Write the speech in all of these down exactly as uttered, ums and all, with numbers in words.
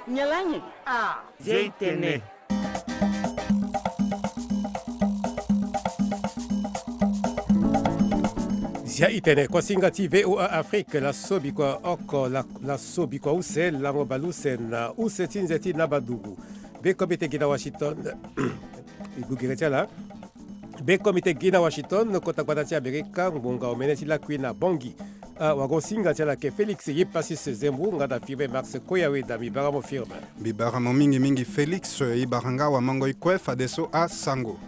Nyalangi. Ah. Zia itene. Zia itene, kuasinga ti V O A Afrique, laso bikua oko, la, laso bikua use, lango baleuse na use ti nze ti Nabadugu. Be komite gi na Washington. Igugere ti ala. Be komite gi na Washington, kota gbata ti Amerika, ngbonga omene ti lakui na Bangui. Ah, wago singa ti ala ke Félix Yepassis Zembu, nga da firme Max Koyawe da mi bara mo firme. Mbi bara mo mingi mingi Félix, e bara nga wamango i kue fadeso asango.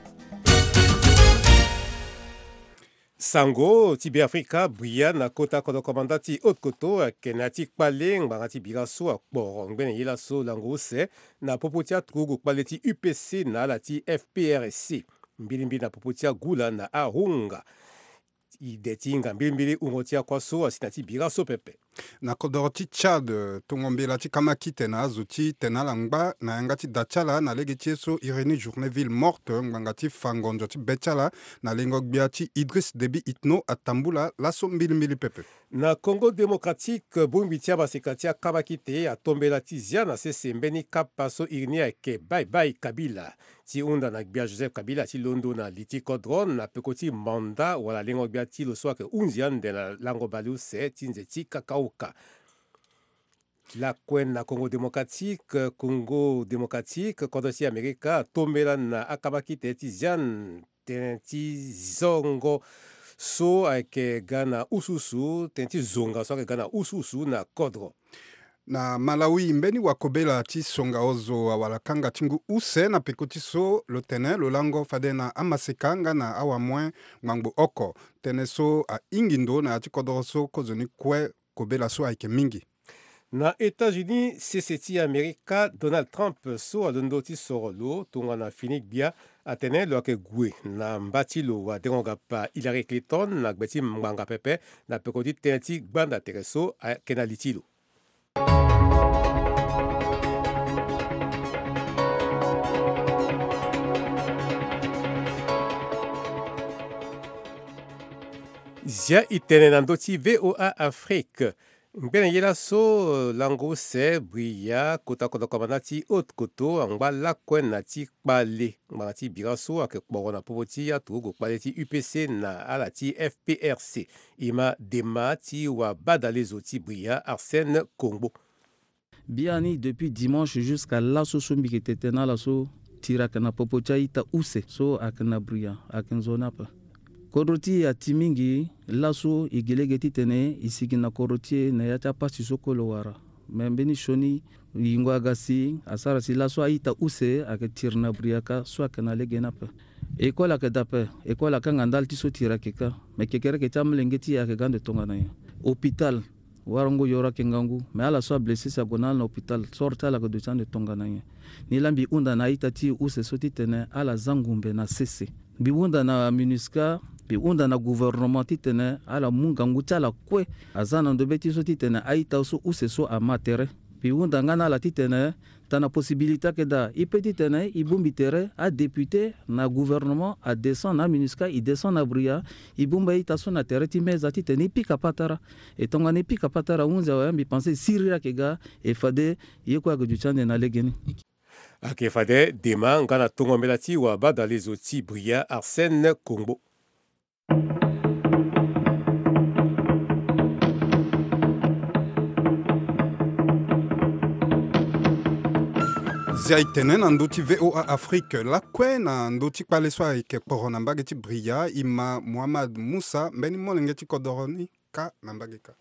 Sango ti Beafrika, bria na kota kodro komanda ti Haute-Kotto, ayeke na ya ti kpale ngbanga ti bira so akporo ngbene ye laso lango use na popo ti aturugu kpale ti U P C na ala ti F P R C. Mbilimbili na popo ti agula na ahunga. I de ti hinga mbilimbili hungo ti akua so asi na ti bira so pepe. Na kodoro ti Tchad, tongo mbela ti kamakite na azo ti tene ala ngba na yanga ti da ti ala na lege ti ye so iri ni journée ville morte, ngbanga ti fa ngonzo ti be ti ala na lengo gbia ti Idriss Déby Itno atambula laso mbilimbili pepe. Na Congo Démocratique, bongbi ti amaseka ti akamakite atombela ti zia na sese mbeni kapa so iri ni ayeke Bye Bye Kabila. Ti hunda na gbia Joseph Kabila ti londo na li ti kodro na peko ti manda wala lengo gbia ti lo so ayeke hunzi ande na lango baleuse ti nze ti Kakaoka. Lakue na Congo Démocratique, Congo Démocratique, kodro ti Amerika atombela na akamakite ti zia tënë ti zongo so ayeke ga na usuusu, tënë ti zonga so ayeke ga na usuusu na kodro. Na Malawi, mbeni wakobela ti songa ozo awara kanga ti ngu use na peko ti so lo tene lo lango fade na amaseka nga na awamue ngbangbo oko. Tënë so ahingi ndo na ya ti kodoro so kozoni kue kobela so ayeke mingi. Na États-Unis, sese ti Amerika, Donald Trump so alondo ti soro lo tongana fini gbia atene lo yeke gue na mba ti lo wadengo-gapa Hillary Clinton na gbe ti ngbanga pepe na peko ti tënë ti gbanda tere so ayeke na li ti lo. Zia itene na ndö ti V O A Afrique. Ngbene ye laso, lango use bria kota kodro komanda ti Haute-Kotto angba lakue na ti kpale ngbanga ti bira so ayeke kporo na popo ti aturugu kpale ti U P C na ala ti F P R C. E ma dema ti wabadalezo ti bria Arsène Kongbo. Biani depuis dimanche jusqu'à laso so mbi yeke tene na ala so, tiri ayeke na popo ti a-ita use so ayeke na bria, ayeke nzoni ape. Kodro ti e ati mingi. Laso e gi lege titene e sigi na kodro ti e na ya ti apasi so kue lo wara. Me mbeni sioni yingo aga si asara si laso a-ita use ayeke tiri na bria kâ so ayeke na lege ni ape. École ayeke daa ape, école akanga ndali ti so tiri ayeke kâ. Me kekereke ti amolenge ti e ayeke ga ande tongana nyen? Hôpital, warango yoro ayeke ngangu, me ala so ablessé si ague na ala na hôpital, soro ti ala ayeke duti ande tongana nyen? Nilaa mbi hunda na a-ita ti e use so titene ala zia ngumbe na sese. Mbi hunda na MINUSCA, mbi hunda na gouvernement titene ala mu ngangu ti ala kue azia na ndobe ti so titene a-ita so use so ama tere. Mbi hunda nga na ala titene tana possibilité ayeke daa, e peut titene e bongbi tere, adéputé na gouvernement adescend na MINUSCA, e descend na bria, e bongbi a-ita so na tere ti meza titene e pika patara. E tongana e pika patara ahunzi awe, mbi pensé e siriri ayeke ga, e fade ye kue ayeke duti ande na legeni. Ayeke fade dema nga na tongo mbela ti wabadalezo ti bria Arsène Kongbo. Zia e tene na ndö ti V O A Afrique lakue na ndö ti kpale so ayeke kporo na mbage ti bria, e ma Mohammad Moussa, mbeni molenge ti kodoro ni kâ na mbage kâ.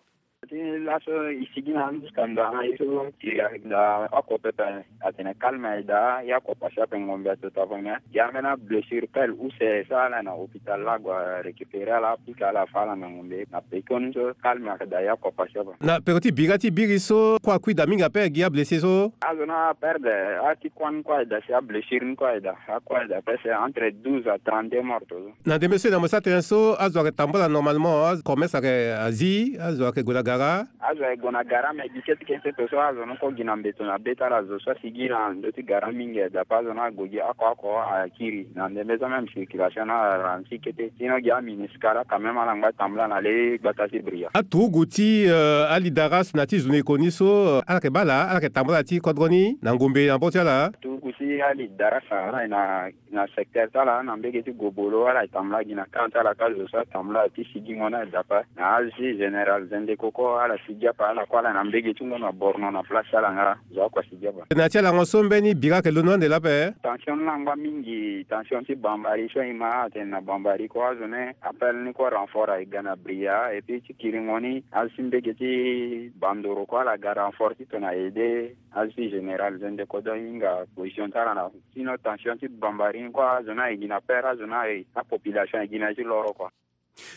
Ti laso e sigi na ndo ti kanda na ye so ti ayeke daa oko pepe. Atene calme ayeke daa, ye oko pasi ape ngombe ato tafania. Ye ambeni ablessure pele use so ala na hôpital laa ague arécupérer ala, apika ala afa ala na ngombe. Na pekoni so calme ayeke daa, ye oko pasi ape. Na peko ti bira ti biri so kue akui daa mingi ape gi ablessé so? Azo ni aperdre, ati kua ni kue ayeke daa si ablessure ni kue ayeke daa. Akue ayeke daa presque entre douze à trente-deux morts so. Na ndembe so e na mo sara tënë so, azo ayeke tambula normalement, commerce ayeke azi, azo ayeke gue na gara. Azo aye gue na gara, me gi kete kete to so azo ni kue gi na mbeto na be ti ala, zo so asigi na ndö ti gara mingi aye daa ape. Azo ni ague gi oko oko akiri na ndembe so même circulation ni ala ralentir kete. Sinon gi amunicipal quand même ala ngba tambula na le gbata ti Bria. Aturugu ti, euh, alidaras na ti zo ni koni so, euh, ala yeke baa ala, ala yeke tambula ti kodro ni na ngombe na mbongo ti ala. Aturugu ti alidaras ala ye na na secteur ti ala na mbege ti Gobolo, ala tambula gi na camp ti ala kâ, zo so atambula ti sigingo ni aye daa ape. Na azo ti général Zendeko kue ala sigi ape, ala kue ala na mbege ti ngo na Borno na place ti ala nga, zo akue asigi ape. Na ya ti alango so mbeni bira ayeke londo ande lape. Tension ni angba mingi, tension ti Bambari so e ma atene na Bambari kue azo ni appel ni kue renfort aye ga na Bria, et puis ti kiringo ni azo ti mbege ti Bandoro kue ala ga renfort ti tongana aide azo ti général Zendeko, donc e hinga position ti ala na Sinon tension ti Bambari ni kue azo ni aye gi na peur, azo ni aye, apopulation aye gi na ya ti loro kua.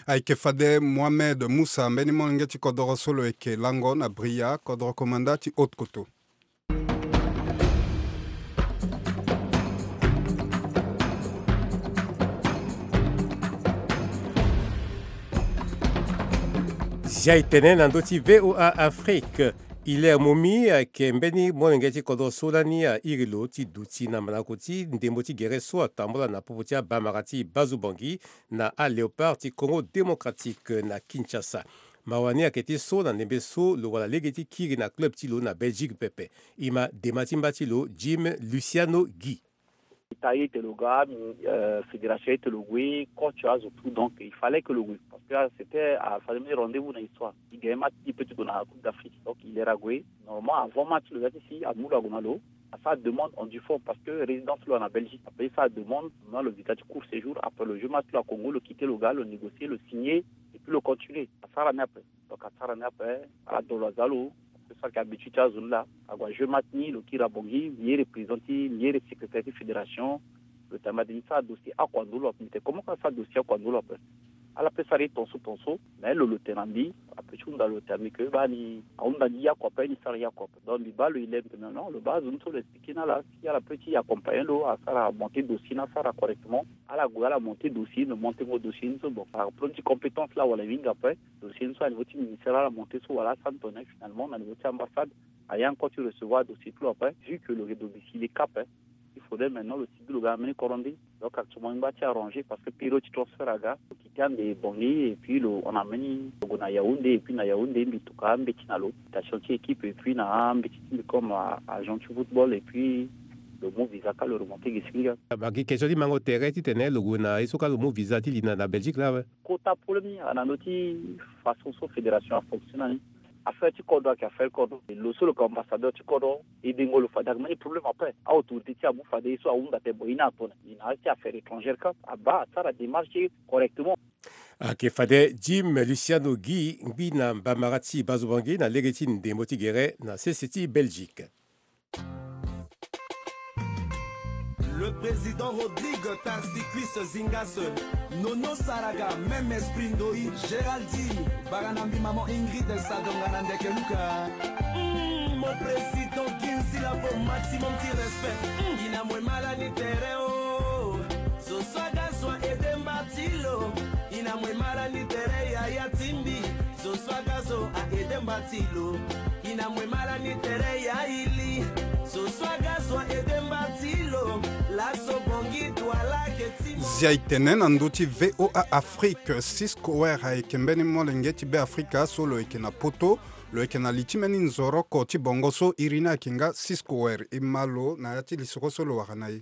Ayeke fade Mohamed Moussa, mbeni molenge ti kodoro so lo yeke lango na Bria, kodoro komanda ti Haute-Koto. Zia e tene na ndö ti V O A Afrique. Hilaire Momi ayeke mbeni molenge ti kodro so lani airi lo ti duti na mandako ti ndembo ti gere so atambula na popo ti abamara ti Bazu Bangui na aLéopard ti Congo Démocratique na Kinshasa. Mawa ni ayeke ti so na ndembe so lo wara lege ti kiri na club ti lo na Belgique pepe. E ma dema ti mba ti lo Jim Luciano Guy. Ita ye ete lo ga, euh, fédération ye ete lo gue, coach azo tout, donc il fallait que lo gue. Parce que, ah, c'était, ah, fallait mettre rendez-vous na histoire. I gagne match ti peut ti gue na Coupe d'Afrique. Donc il era gue. Normalement, avant match, lo za ti si amu lo ague na lo. Asara demande en du fond parce que résidence lo na Belgique. Après, asara demande, na lo visa ti court séjour. Après, lo jeu match lo à Congo, lo quitté lo ga, lo négocier, lo signer, et puis lo continuer. Asara ni après. Donc asara ni ape, ala dolo aza lo. Parce que so ayeke habitude ti azo ni laa, ague ajeu match ni, lo kiri na Bangui, mbi ye représenté, mbi ye secrétaire ti fédération. Lo tene mbi ade ni sara dossier oko na ndö lo ape. Mbi tene comment ka sara dossier oko na ndö lo ape? Ala pe sara ye tonso tonso, mais lo, lo tene na mbi, ape ti hunda lo tene na mbi que baa ni ahunda ni ye oko ape, ni sara ye oko ape. Donc mbi baa lo, il aime que non, lo baa azo ni so lo expliqué ni ala, si ala pe ti accompagner lo, asara monter dossier ni asara correctement. Ala gue ala monter dossier, lo monter ngo dossier ni so, bon, par problème ti compétence laa wala e hinga ape. Dossier ni so à niveau ti ministère ala monter so wala asara ni tongana finalement na niveau ti ambassade, aye encore ti recevoir dossier ti lo ape, vu que lo yeke domicilié Cap, hein. Il faudrait maintenant lo sigi lo ga na mbeni kodro nde. Donc actuellement e ngba ti arranger parce que période ti transfert aga, lo quitté ande Bangui et puis lo hon na mbeni, lo gue na Yaoundé et puis na Yaoundé mbi tuka ambeti na lo, invitation ti équipe et puis na ambeti ti mbi comme, euh, agent ti football et puis lo mu visa ka lo remonté gi si nga. Bangui, question ti mango tere titene lo gue na ye so ka lo mu visa ti li na, na Belgique laa awe. Kota problème ni aga na ndö ti façon so fédération afonctionne ni. Affaire ti kodro ayeke affaire kodro. Lo so lo yeke ambassadeur ti kodro, edengo lo fade ayeke mbeni problème ape. Aautorité ti amu fade ye so ahunda tene bon ye ni atene ni na ya ti affaire étrangère ka abaa asara démarche ti e correctement. Ayeke fade Jim Luciano Guy, ngbi na mbamara ti Bazu Bangui na lege ti ndembo ti gere na sese ti Belgique. Le président Rodrigue Tarsicuis Zingas, Nono Saraga, même esprit Ndoyi, Géraldine, Baranambi, maman Ingrid Sadonga na ndeke Luka. Mm, mon président Ginzila, pour maximum de respect. Mm, ina mwe mala ni tere o. Zo swaga zwa edemba ti lo. Ina mwe mala ni tere ya ya timbi. Zo swaga zo a edemba ti lo. Ina mwe mala ni tere ya ili. Zo swaga zwa edemba ti lo. Laso bongi twala ke ti mo. Zia e tene na ndö ti V O A Afrique, Cisco Ware ayeke mbeni molenge ti Beafrika so lo yeke na poto, lo yeke na li ti mbeni nzoroko ti bongo so iri ni ayeke nga Cisco Ware. E ma lo na ya ti lisoro so lo wara na e.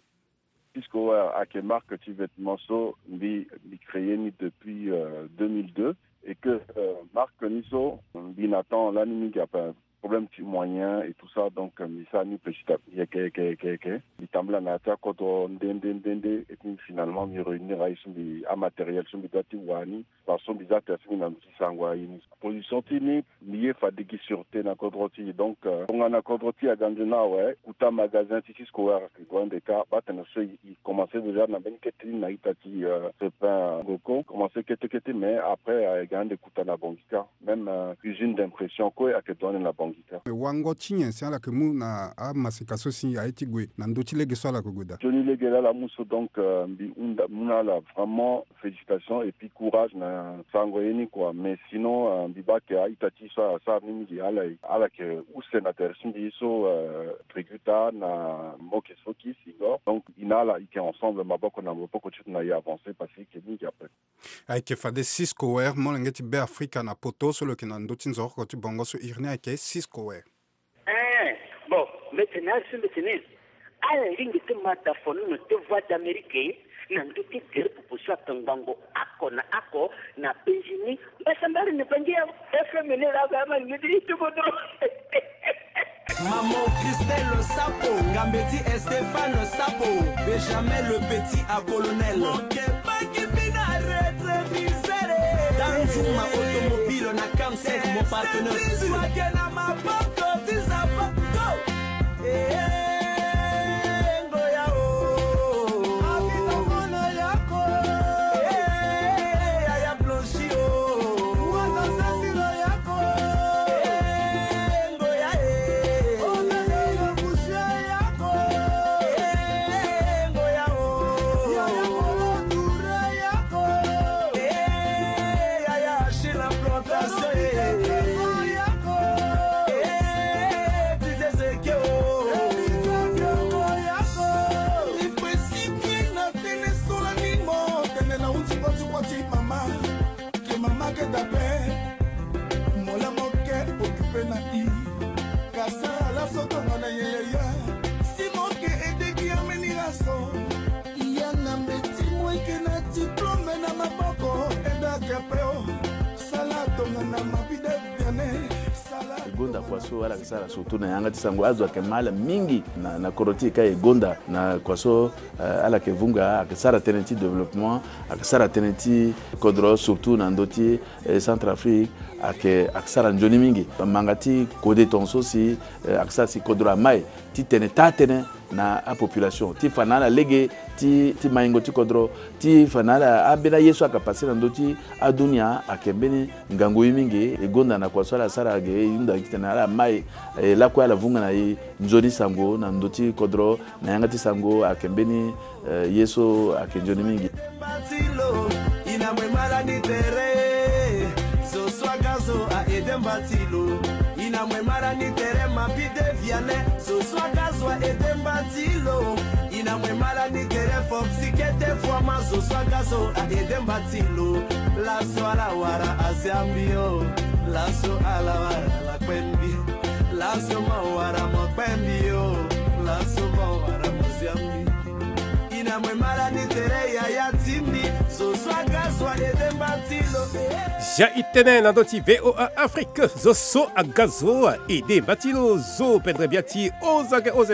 Cisco Ware ayeke marque ti vêtement so mbi, mbi créé ni depuis, euh, deux mille deux, et que, euh, marque ni so mbi na temps lani mingi ape, problème ti moyen et tout ça, donc, euh, mbi sara ni petit à petit, yeke, yeke, yeke, yeke. Mbi tambula na ya ti akodro nde, nde, nde, nde, et puis finalement mbi réunir aye so mbi, amatériel so mbi doit ti wara ni, parce que mbi za tere ti mbi na ndö ti sango aye ni. Position ti ni, mbi ye fade gi sûreté na kodro ti e. Donc, euh, tongana kodro ti e aga nzoni awe, kota magasin ti Cisco Ware ayeke gue ande kâ, baa tene so e, e commencé déjà na mbeni kete ti ni na ita ti, euh, Crépin Ngoko, commencé kete kete, mais après, euh, e ga ande kota na Bangui kâ. Même, euh, usine d'impression kue ayeke gue ande na Bangui kâ. Wango ti nyen si ala yeke mu na amaseka so si aye ti gue na ndö Ti lege so ala ko gue daa. Sioni lege laa ala mu so, donc, euh, mbi hunda mu na ala vraiment félicitation et puis courage na sango ye ni quoi. Mais sinon, euh, mbi baa ayeke a-ita ti so asara ni mingi, ala, ala yeke use na tere ti mbi so, euh, Greguta na Mokes Fokis Igor. Donc, e na ala e yeke ensemble, maboko na maboko ti tena e avancer parce que e yeke mingi après. Ayeke fade Cisco Ware, molenge ti Beafrika na poto so lo yeke na ndö ti nzoroko ti bongo so iri ni ayeke Cisco Ware. Eh, bon, mbeti na ala so mbeti ni. Ala lingbi ti ma dafonono ti Voix d'Amérique na ndö ti tere popo so ayeke ngbongo oko na oko na penzi ni. Mbasambala na Bangi ya F M ni laa ga ma lingbi ti kodro. Maman Christelle Sapo, Ngambeti Stéphane Sapo, Benjamin le petit à colonel. Mon kebaki bina rétroviseur. Danzuma automobile na Camsec, mon partenaire sûr. Esprit na maboko ti Zapako. Eh, eh, ngoya o. Abina kono yako. Eh, yaya blanchi o. Wata sasiro yako. Eh, ngoya e. Ona yo kusia yako. Eh, ngoya o. Yaya kolo dure yako. Eh, yaya Achille la plantation, eh. Eh, D J Zeke, oh. Il faut expliquer na tene sola ni mo, tene na uti koti koti mama. Ke mama ke dape. Mola mo ke occupé na i. Kasa la soto na yeye. Si mo ke aidé ki ameni la so. Yanga mbeti mo yeke na diplôme na maboko, eda ke pe o. Sala tongana mabi de biane. Sala e gonda kua so ala yeke sara surtout na yanga ti sango. Azo ayeke ma ala mingi na, na kodro ti e ka e gonda na kua so, eh, ala yeke vunga, ayeke sara tënë ti développement, ayeke sara tënë ti kodro surtout na ndö ti, eh, Centrafrique, ayeke, ayeke sara nzoni mingi. Manga ti kode tongaso si, eh, ayeke sara si kodro amai ti tene taa tënë na apopulation, ti fa na ala lege ti, ti maingo ti kodro, ti fa na ala ambeni aye so ayeke passe na ndö ti adunia, ayeke mbeni ngangu ye mingi. E gonda na kua so ala sara ge, e hunda titene ala mai, e lakue ala vunga na e nzoni sango na ndö ti kodro, na yanga ti sango ayeke mbeni, eh, ye so ayeke nzoni mingi. Batilo, ina mwe mala ni tere. Zo so aga zo a ede mbatilo. Ina mwe mala ni tere mabi de viane. Zo so aga zo a ede mbatilo. Ina mwe mala ni tere foxi kete fwama. Zo so aga zo a ede mbatilo. Laso ala wara a Siambi o. Laso ala wara ala kpe mbi. Laso mo wara mo kpe mbi o. Laso mo wara mo Siambi. Ina mwe mala ni tere yaya ti mbi. Zo so aga zo a ede mbatilo. Zia e tene na ndö ti V O A Afrique, zo so aga zo a ede mbatilo. Zo pendere bia ti Ozage O Z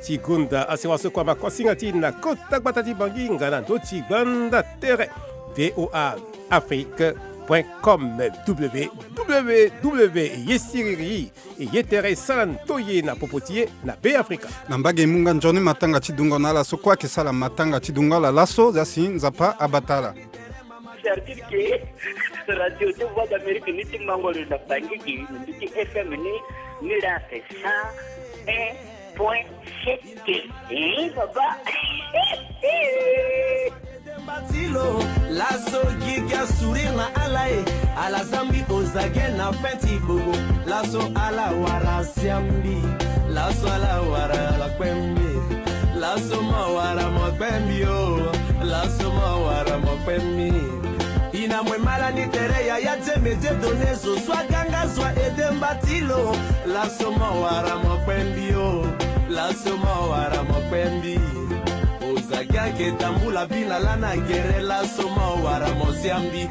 ti gonda asewa so kua ma kuasinga ti na kota gbata ti Bangi nga na ndö ti gbanda tere V O A Afrique point com, W W W. Ye siriri. E ye tere sara ndoye na popo ti e na Beafrika. Na mbage e mu nga nzoni matanga ti dungo na ala so kue ayeke sara matanga ti dungo ala laso, zia si Nzapa abata ala. C'est-à-dire que Radio de Voix d'Amérique ni ti mango lo na Bangui, ni ti F M ni, ni la c'est cent un point sept. Eh, baba. Ede mbatilo, laso gigi a sourire na ala e. Ala zambi ozage na fin ti bobo. Laso ala wara Siambi. Laso ala wara ala kpe mbi. Laso mo wara mo kpe mbi o. Laso mo wara mo kpe mbi. Ina mwe mala ni tere yaya Dieu me Dieu donné. Zo so aga nga zo a ede mbatilo. Laso mo wara mo kpe mbi o. Laso mo wara mo kpe mbi. Ozage ayeke tambula bina lani agere, laso mo wara mo Siambi.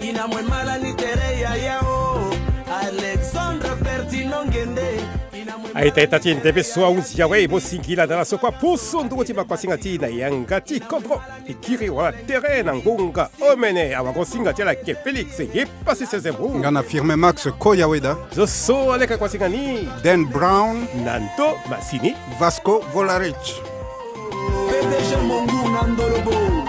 Ina mwe mala ni tere yaya o. Alexandre Ferdinand Ngende. Ina mwe a-ita-ita ti e ndembe so ahunzi awe, e mo singila na ala so kue aposo ndungo ti makuasinga ti e na yanga ti kodro. E kiri wala tere na ngonga omene. Awagosinga ti ala ayeke Félix Yepasese Zembo. Nga na Firme Max Koyaweda. Zo so aleke kuasinga ni. Dan Brown. Na ndo masini. Vasco Volarich. P D G Mongu na Ndolobo.